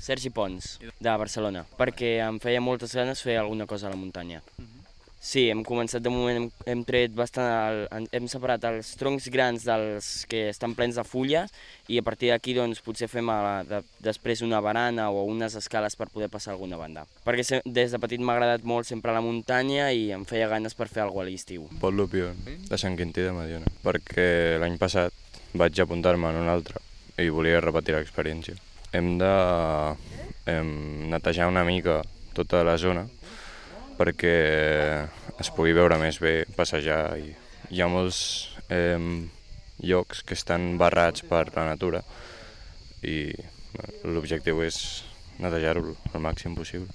Sergi Pons, de Barcelona, perquè em feia moltes ganes fer alguna cosa a la muntanya. Sí, hem començat, de moment hem tret bastant, hem separat els troncs grans dels que estan plens de fulles i a partir d'aquí doncs, potser fem després una barana o unes escales per poder passar a alguna banda. Perquè des de petit m'ha agradat molt sempre la muntanya i em feia ganes per fer alguna cosa a l'estiu. Pol Lupion, de Sant Quintí de Mediona, perquè l'any passat vaig apuntar-me en un altre i volia repetir l'experiència. Hem de netejar una mica tota la zona perquè es pugui veure més bé, passejar. Hi ha molts llocs que estan barrats per la natura i l'objectiu és netejar-ho el màxim possible.